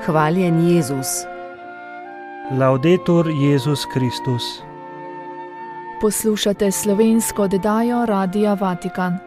Hvaljen Jezus. Laudetur Jezus Kristus. Poslušate slovensko oddajo Radia Vatikan.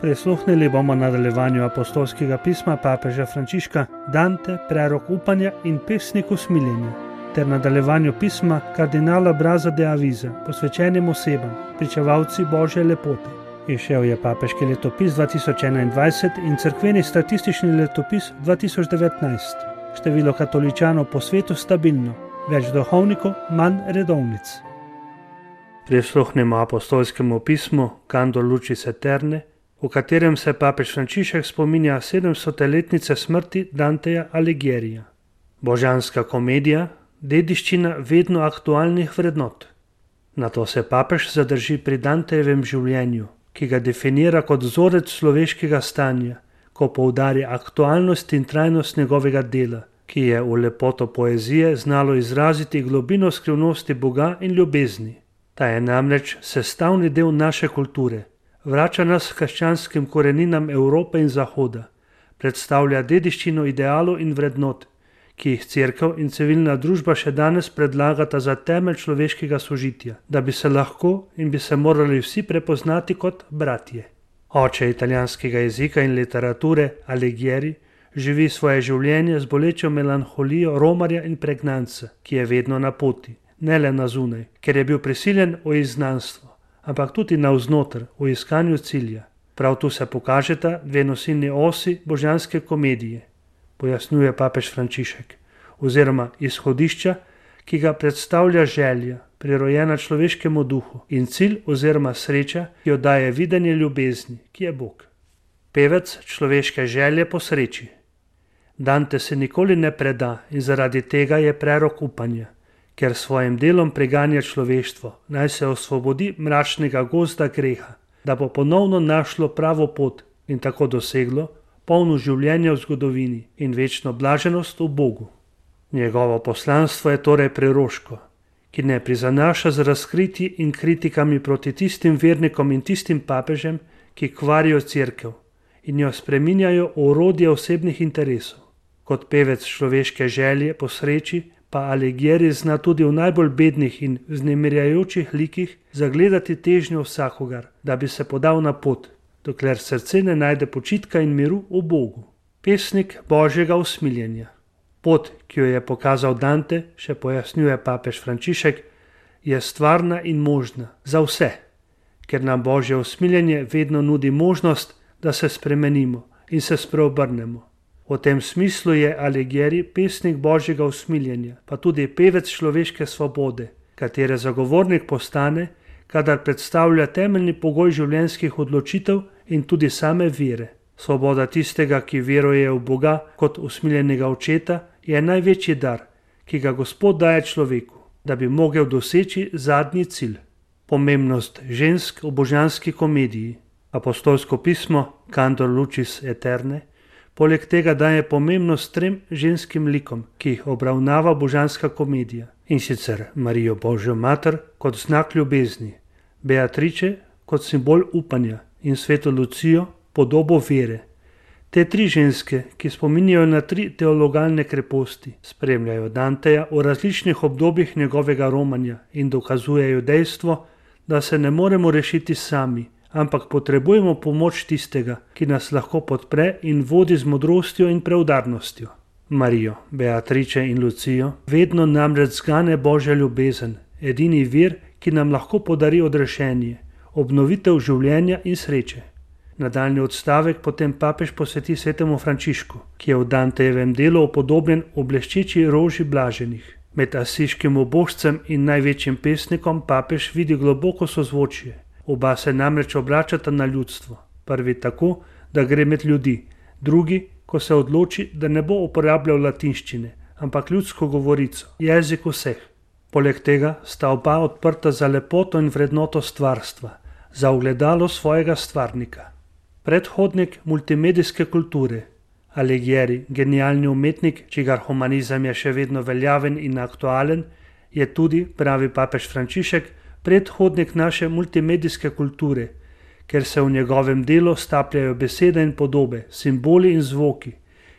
Prisluhnili bomo nadaljevanju apostolskega pisma papeža Frančiška Dante, prerok upanja in pesnik usmiljenja, ter nadaljevanju pisma kardinala Brazza de Avisa, posvečenim osebam, pričevalci Božje lepote. Izšel je papeški letopis 2021 in cerkveni statistični letopis 2019. Število katoličanov po svetu stabilno, več duhovnikov, manj redovnic. Prisluhnemo apostolskemu pismu Cantor Lucis Aeterne, v katerem se papež Frančišek spominja 700-letnice smrti Danteja Alighierija. Božanska komedija, dediščina vedno aktualnih vrednot. Nato se papež zadrži pri Dantejevem življenju, ki ga definira kot vzorec človeškega stanja, ko poudarja aktualnost in trajnost njegovega dela, ki je v lepoto poezije znalo izraziti globino skrivnosti Boga in ljubezni. Ta je namreč sestavni del naše kulture, vrača nas k krščanskim koreninam Evrope in Zahoda, predstavlja dediščino idealov in vrednot, ki jih cerkev in civilna družba še danes predlagata za temelj človeškega sožitja, da bi se lahko in bi se morali vsi prepoznati kot bratje. Oče italijanskega jezika in literature Alighieri živi svoje življenje z bolečo melanholijo romarja in pregnanca, ki je vedno na poti, ne le na zunaj, ker je bil prisiljen v izgnanstvo, ampak tudi navznoter, v iskanju cilja. Prav tu se pokažeta dve nosilni osi božanske komedije, pojasnjuje papež Frančišek, oziroma izhodišča, ki ga predstavlja želja, prirojena človeškemu duhu, in cilj oziroma sreča, ki jo daje videnje ljubezni, ki je Bog. Pevec človeške želje po sreči. Dante se nikoli ne preda in zaradi tega je prerok upanja, ker svojim delom preganja človeštvo, naj se osvobodi mračnega gozda greha, da bo ponovno našlo pravo pot in tako doseglo polno življenje v zgodovini in večno blaženost v Bogu. Njegovo poslanstvo je torej preroško, ki ne prizanaša z razkritji in kritikami proti tistim vernikom in tistim papežem, ki kvarijo cerkev in jo spreminjajo v orodje osebnih interesov. Kot pevec človeške želje po sreči pa Alighieri zna tudi v najbolj bednih in vznemirjajočih likih zagledati težnjo vsakogar, da bi se podal na pot, dokler srce ne najde počitka in miru v Bogu. Pesnik Božjega usmiljenja. Pot, ki jo je pokazal Dante, še pojasnjuje papež Frančišek, je stvarna in možna za vse, ker nam Božje usmiljenje vedno nudi možnost, da se spremenimo in se spreobrnemo. V tem smislu je Alighieri pesnik Božjega usmiljenja, pa tudi pevec človeške svobode, katere zagovornik postane, kadar predstavlja temeljni pogoj življenjskih odločitev in tudi same vere. Svoboda tistega, ki veruje v Boga kot usmiljenega očeta, je največji dar, ki ga Gospod daje človeku, da bi mogel doseči zadnji cilj. Pomembnost žensk v božanski komediji. Apostolsko pismo Cantor Lucis Aeterne poleg tega daje pomembnost trem ženskim likom, ki jih obravnava božanska komedija, in sicer Marijo Božjo mater kot znak ljubezni, Beatrice kot simbol upanja in sveto Lucijo podobo vere. Te tri ženske, ki spominjajo na tri teologalne kreposti, spremljajo Danteja v različnih obdobjih njegovega romanja in dokazujejo dejstvo, da se ne moremo rešiti sami, ampak potrebujemo pomoč tistega, ki nas lahko podpre in vodi z modrostjo in preudarnostjo. Marijo, Beatrice in Lucijo vedno namreč zgane Božja ljubezen, edini vir, ki nam lahko podari odrešenje, obnovitev življenja in sreče. Nadaljnji odstavek potem papež posveti svetemu Frančišku, ki je v Dantejevem delu upodobljen v bleščeči roži blaženih. Med asiškim ubožcem in največjim pesnikom papež vidi globoko sozvočje. Oba se namreč obračata na ljudstvo. Prvi tako, da gre med ljudi, drugi, ko se odloči, da ne bo uporabljal latinščine, ampak ljudsko govorico, jezik vseh. Poleg tega sta oba odprta za lepoto in vrednoto stvarstva, za ogledalo svojega stvarnika. Predhodnik multimedijske kulture, Alighieri, genialni umetnik, čigar humanizem je še vedno veljaven in aktualen, je tudi, pravi papež Frančišek, predhodnik naše multimedijske kulture, ker se v njegovem delu stapljajo besede in podobe, simboli in zvoki,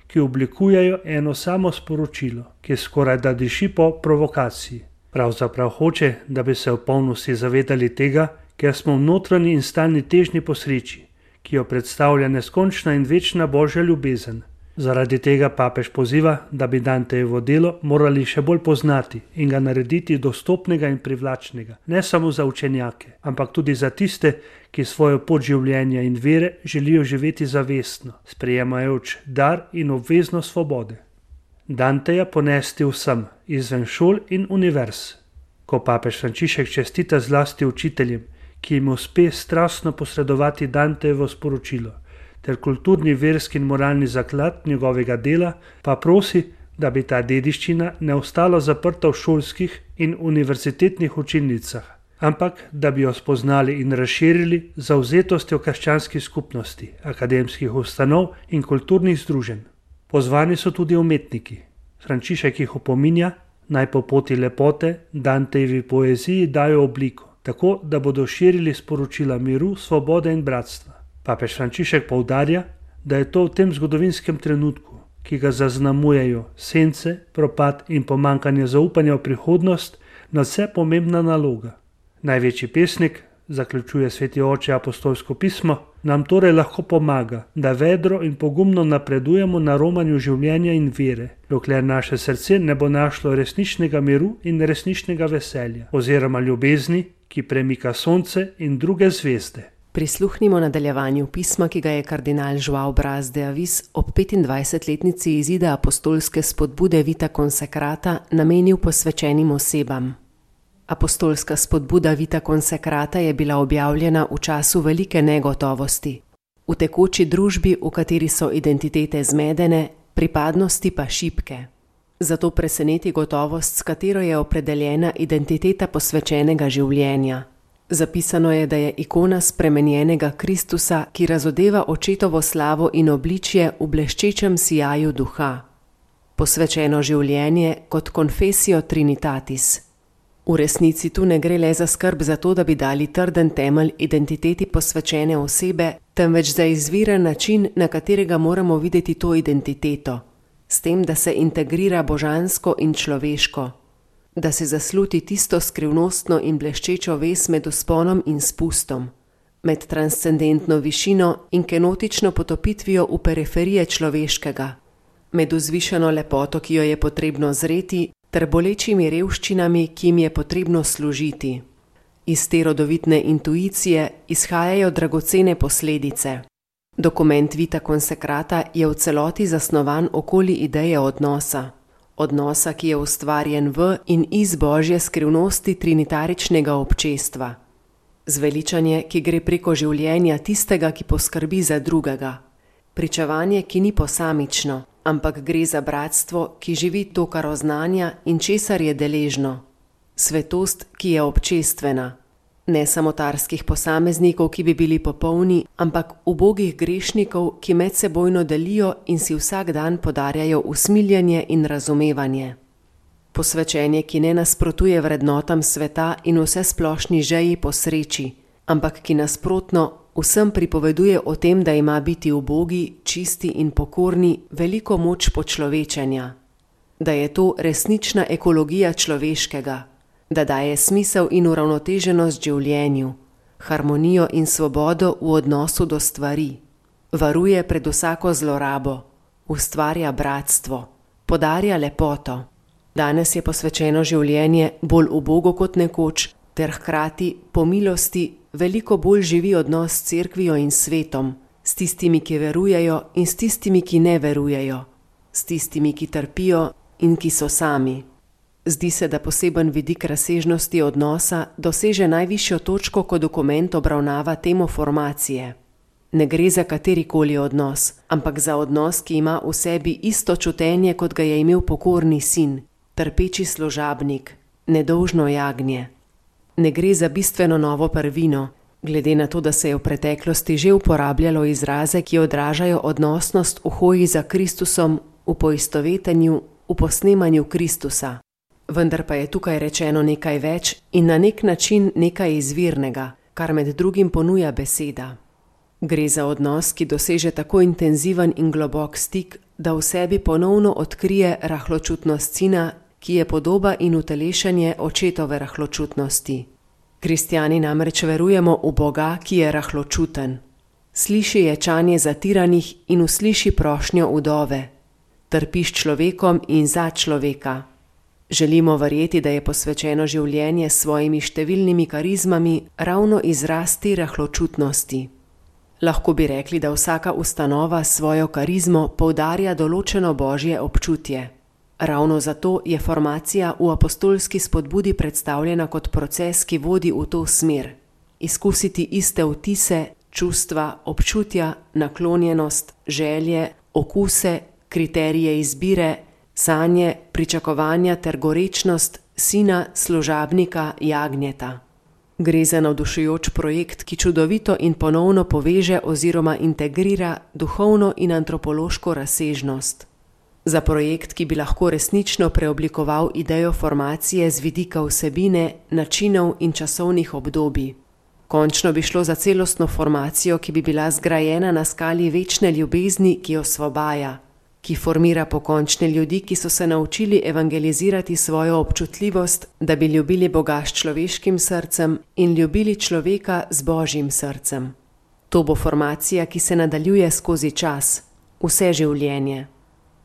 ki oblikujejo eno samo sporočilo, ki skoraj da diši po provokaciji. Pravzaprav hoče, da bi se v polnosti zavedali tega, ker smo v notranji in stalni težnji po sreči, ki jo predstavlja neskončna in večna Božja ljubezen. Zaradi tega papež poziva, da bi Dantejevo delo morali še bolj poznati in ga narediti dostopnega in privlačnega, ne samo za učenjake, ampak tudi za tiste, ki svojo pot življenja in vere želijo živeti zavestno, sprejemajoč dar in obveznost svobode. Danteja ponesti vsem, izven šol in univerz. Ko papež Frančišek čestita zlasti učiteljem, ki jim uspe strastno posredovati Dantejevo sporočilo, ter kulturni, verski in moralni zaklad njegovega dela, pa prosi, da bi ta dediščina ne ostala zaprta v šolskih in univerzitetnih učilnicah, ampak da bi jo spoznali in razširili z zavzetostjo krščanskih skupnosti, akademskih ustanov in kulturnih združenj. Pozvani so tudi umetniki. Frančišek jih opominja, naj po poti lepote Dantejevi poeziji dajo obliko, tako da bodo širili sporočila miru, svobode in bratstva. Papež Frančišek poudarja, da je to v tem zgodovinskem trenutku, ki ga zaznamujejo sence, propad in pomanjkanje zaupanja v prihodnost, nadvse pomembna naloga. Največji pesnik, zaključuje sveti oče apostolsko pismo, nam torej lahko pomaga, da vedro in pogumno napredujemo na romanju življenja in vere, dokler naše srce ne bo našlo resničnega miru in resničnega veselja, oziroma ljubezni, ki premika sonce in druge zvezde. Prisluhnimo nadaljevanju pisma, ki ga je kardinal Joao Braz de Avis ob 25-letnici izida apostolske spodbude Vita Consecrata namenil posvečenim osebam. Apostolska spodbuda Vita Consecrata je bila objavljena v času velike negotovosti, v tekoči družbi, v kateri so identitete zmedene, pripadnosti pa šibke. Zato preseneti gotovost, s katero je opredeljena identiteta posvečenega življenja. Zapisano je, da je ikona spremenjenega Kristusa, ki razodeva očetovo slavo in obličje v bleščečem sijaju duha. Posvečeno življenje kot confessio trinitatis. V resnici tu ne gre le za skrb za to, da bi dali trden temelj identiteti posvečene osebe, temveč za izviren način, na katerega moramo videti to identiteto, s tem, da se integrira božansko in človeško, da se zasluti tisto skrivnostno in bleščečo vez med vzponom in spustom, med transcendentno višino in kenotično potopitvijo v periferije človeškega, med vzvišeno lepoto, ki jo je potrebno zreti, ter bolečimi revščinami, ki jim je potrebno služiti. Iz te rodovitne intuicije izhajajo dragocene posledice. Dokument Vita Consecrata je v celoti zasnovan okoli ideje odnosa. Odnosa, ki je ustvarjen v in iz Božje skrivnosti trinitaričnega občestva. Zveličanje, ki gre preko življenja tistega, ki poskrbi za drugega. Pričevanje, ki ni posamično, ampak gre za bratstvo, ki živi to, kar oznanja in česar je deležno. Svetost, ki je občestvena. Ne samotarskih posameznikov, ki bi bili popolni, ampak ubogih grešnikov, ki medsebojno delijo in si vsak dan podarjajo usmiljenje in razumevanje. Posvečenje, ki ne nasprotuje vrednotam sveta in vsesplošni žeji po sreči, ampak ki nasprotno vsem pripoveduje o tem, da ima biti ubogi, čisti in pokorni veliko moč počlovečenja. Da je to resnična ekologija človeškega, da daje smisel in uravnoteženost življenju, harmonijo in svobodo v odnosu do stvari, varuje pred vsako zlorabo, ustvarja bratstvo, podarja lepoto. Danes je posvečeno življenje bolj ubogo kot nekoč, ter hkrati po milosti veliko bolj živi odnos s cerkvijo in svetom, s tistimi, ki verujejo in s tistimi, ki ne verujejo, s tistimi, ki trpijo in ki so sami. Zdi se, da poseben vidik razsežnosti odnosa doseže najvišjo točko, ko dokument obravnava temo formacije. Ne gre za katerikoli odnos, ampak za odnos, ki ima v sebi isto čutenje, kot ga je imel pokorni sin, trpeči služabnik, nedolžno jagnje. Ne gre za bistveno novo prvino, glede na to, da se je v preteklosti že uporabljalo izraze, ki odražajo odnosnost v hoji za Kristusom, v poistovetenju, v posnemanju Kristusa. Vendar pa je tukaj rečeno nekaj več in na nek način nekaj izvirnega, kar med drugim ponuja beseda. Gre za odnos, ki doseže tako intenziven in globok stik, da v sebi ponovno odkrije rahločutnost sina, ki je podoba in utelešenje očetove rahločutnosti. Kristjani namreč verujemo v Boga, ki je rahločuten. Sliši ječanje zatiranih in usliši prošnjo vdove. Trpi s človekom in za človeka. Želimo verjeti, da je posvečeno življenje s svojimi številnimi karizmami ravno izraz te rahločutnosti. Lahko bi rekli, da vsaka ustanova s svojo karizmo poudarja določeno božje občutje. Ravno zato je formacija v apostolski spodbudi predstavljena kot proces, ki vodi v to smer. Izkusiti iste vtise, čustva, občutja, naklonjenost, želje, okuse, kriterije izbire, sanje, pričakovanja ter gorečnost sina, služabnika, jagnjeta. Gre za navdušujoč projekt, ki čudovito in ponovno poveže oziroma integrira duhovno in antropološko razsežnost. Za projekt, ki bi lahko resnično preoblikoval idejo formacije z vidika vsebine, načinov in časovnih obdobij. Končno bi šlo za celostno formacijo, ki bi bila zgrajena na skali večne ljubezni, ki osvobaja, ki formira pokončne ljudi, ki so se naučili evangelizirati svojo občutljivost, da bi ljubili Boga s človeškim srcem in ljubili človeka z Božjim srcem. To bo formacija, ki se nadaljuje skozi čas, vse življenje.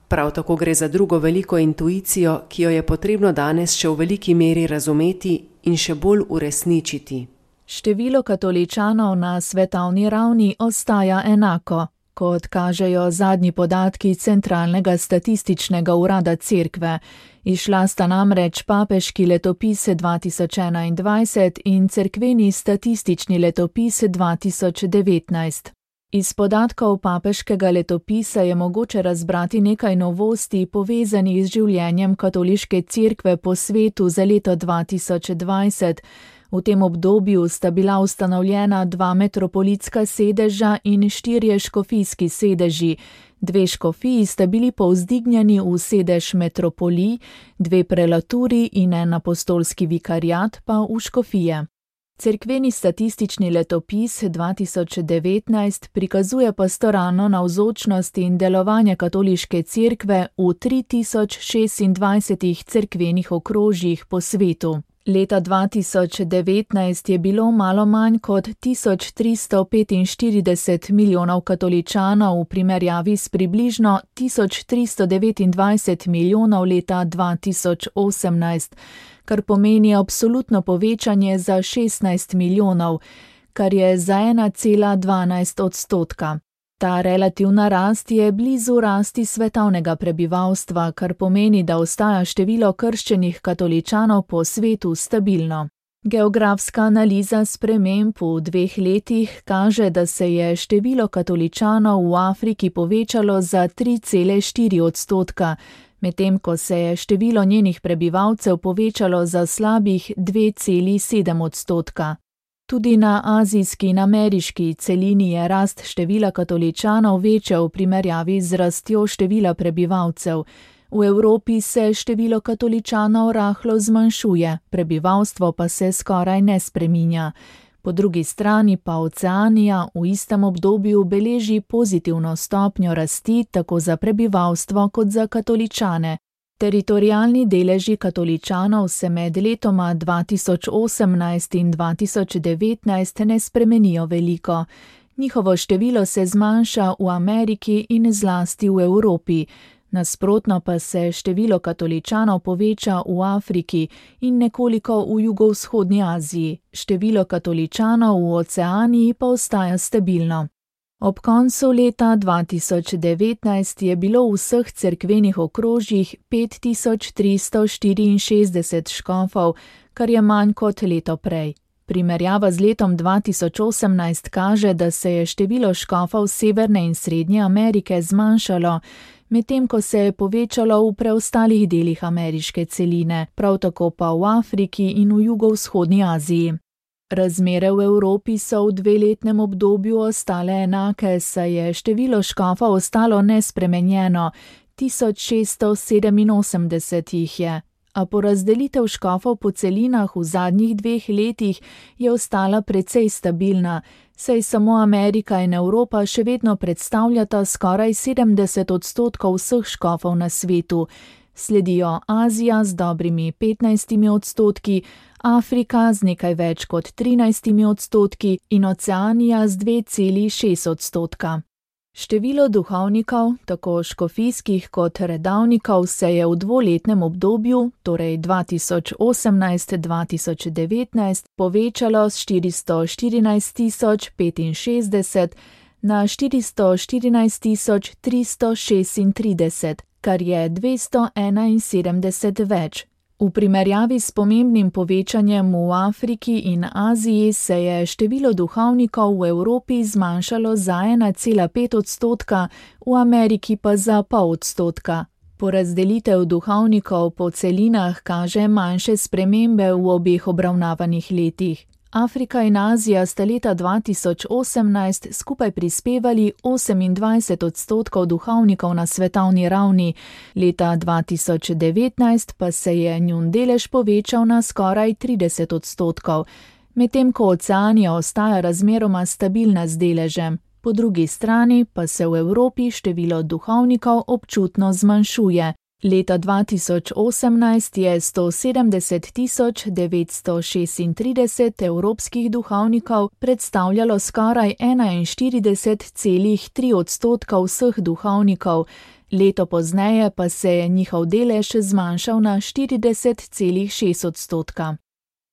Prav tako gre za drugo veliko intuicijo, ki jo je potrebno danes še v veliki meri razumeti in še bolj uresničiti. Število katoličanov na svetovni ravni ostaja enako, kot kažejo zadnji podatki Centralnega statističnega urada Cerkve. Izšla sta namreč papeški letopis 2021 in cerkveni statistični letopis 2019. Iz podatkov papeškega letopisa je mogoče razbrati nekaj novosti povezanih z življenjem katoliške cerkve po svetu za leto 2020. V tem obdobju sta bila ustanovljena 2 metropolitska sedeža in 4 škofijski sedeži. 2 škofiji sta bili povzdignjeni v sedež metropolij, 2 prelaturi in 1 apostolski vikariat pa v škofije. Cerkveni statistični letopis 2019 prikazuje pastoralno navzočnost in delovanje katoliške cerkve v 3026 cerkvenih okrožjih po svetu. Leta 2019 je bilo malo manj kot 1345 milijonov katoličanov v primerjavi s približno 1329 milijonov leta 2018, kar pomeni absolutno povečanje za 16 milijonov, kar je za 1,12%. Ta relativna rast je blizu rasti svetovnega prebivalstva, kar pomeni, da ostaja število krščenih katoličanov po svetu stabilno. Geografska analiza sprememb v 2 letih kaže, da se je število katoličanov v Afriki povečalo za 3,4%, medtem ko se je število njenih prebivalcev povečalo za slabih 2,7%. Tudi na azijski in ameriški celini je rast števila katoličanov večja v primerjavi z rastjo števila prebivalcev. V Evropi se število katoličanov rahlo zmanjšuje, prebivalstvo pa se skoraj ne spreminja. Po drugi strani pa Oceanija v istem obdobju beleži pozitivno stopnjo rasti tako za prebivalstvo kot za katoličane. Teritorialni deleži katoličanov se med letoma 2018 in 2019 ne spremenijo veliko. Njihovo število se zmanjša v Ameriki in zlasti v Evropi. Nasprotno pa se število katoličanov poveča v Afriki in nekoliko v jugovzhodni Aziji. Število katoličanov v Oceaniji pa ostaja stabilno. Ob koncu leta 2019 je bilo v vseh cerkvenih okrožjih 5364 škofov, kar je manj kot leto prej. Primerjava z letom 2018 kaže, da se je število škofov Severne in Srednje Amerike zmanjšalo, medtem ko se je povečalo v preostalih delih ameriške celine, prav tako pa v Afriki in v jugovzhodni Aziji. Razmere v Evropi so v 2-letnem obdobju ostale enake, saj je število škofov ostalo nespremenjeno, 1687 jih je. a porazdelitev škofov po celinah v zadnjih 2 letih je ostala precej stabilna, saj samo Amerika in Evropa še vedno predstavljata skoraj 70% vseh škofov na svetu. Sledijo Azija z dobrimi 15%, Afrika z nekaj več kot 13% in Oceanija z 2,6%. Število duhovnikov, tako škofijskih kot redavnikov, se je v 2-letnem obdobju, torej 2018-2019, povečalo s 414.065 na 414.336, kar je 271 več. V primerjavi s pomembnim povečanjem v Afriki in Aziji se je število duhovnikov v Evropi zmanjšalo za 1,5%, v Ameriki pa za 0,5%. Porazdelitev duhovnikov po celinah kaže manjše spremembe v obeh obravnavanih letih. Afrika in Azija sta leta 2018 skupaj prispevali 28% duhovnikov na svetovni ravni, leta 2019 pa se je njun delež povečal na skoraj 30%, medtem ko Oceanija ostaja razmeroma stabilna z deležem. Po drugi strani pa se v Evropi število duhovnikov občutno zmanjšuje. Leta 2018 je 170.936 evropskih duhovnikov predstavljalo skoraj 41,3% vseh duhovnikov, leto pozneje pa se je njihov delež zmanjšal na 40,6%.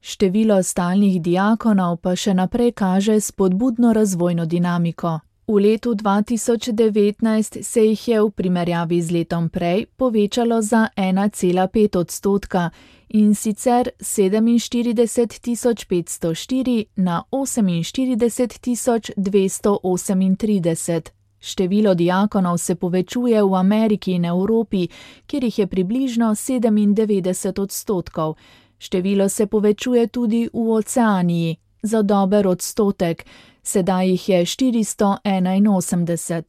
Število stalnih diakonov pa še naprej kaže spodbudno razvojno dinamiko. V letu 2019 se jih je v primerjavi z letom prej povečalo za 1,5% in sicer 47.504 na 48.238. Število diakonov se povečuje v Ameriki in Evropi, kjer jih je približno 97%. Število se povečuje tudi v Oceaniji, za dober odstotek, sedaj jih je 481.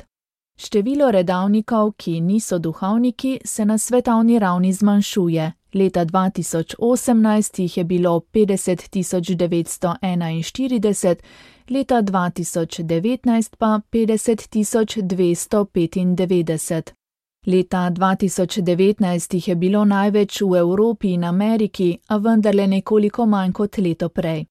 Število redavnikov, ki niso duhovniki, se na svetovni ravni zmanjšuje. Leta 2018 jih je bilo 50.941, leta 2019 pa 50.295. Leta 2019 jih je bilo največ v Evropi in Ameriki, a vendarle nekoliko manj kot leto prej.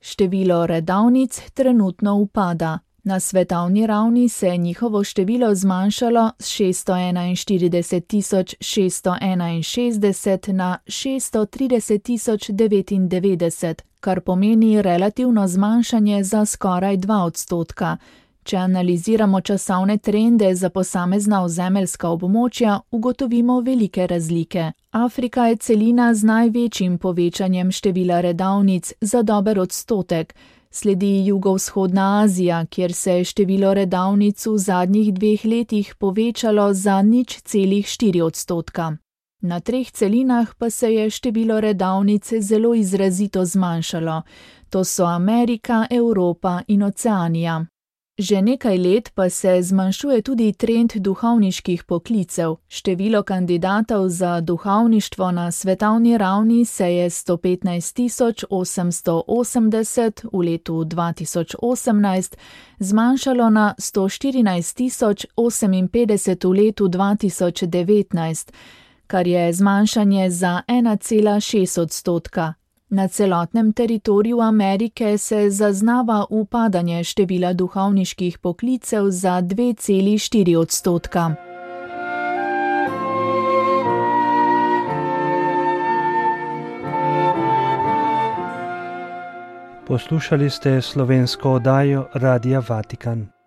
Število redavnic trenutno upada. Na svetovni ravni se je njihovo število zmanjšalo s 631.661 na 630.099, kar pomeni relativno zmanjšanje za skoraj 2%. Če analiziramo časovne trende za posamezna ozemeljska območja, ugotovimo velike razlike. Afrika je celina z največjim povečanjem števila redavnic za dober odstotek. Sledi jugovzhodna Azija, kjer se je število redavnic v zadnjih 2 letih povečalo za 0,4%. Na 3 celinah pa se je število redavnic zelo izrazito zmanjšalo. To so Amerika, Evropa in Oceanija. Že nekaj let pa se zmanjšuje tudi trend duhovniških poklicev. Število kandidatov za duhovništvo na svetovni ravni se je 115.880 v letu 2018 zmanjšalo na 114.058 v letu 2019, kar je zmanjšanje za 1,6%. Na celotnem teritoriju Amerike se zaznava upadanje števila duhovniških poklicev za 2,4%. Poslušali ste slovensko oddajo Radia Vatikan.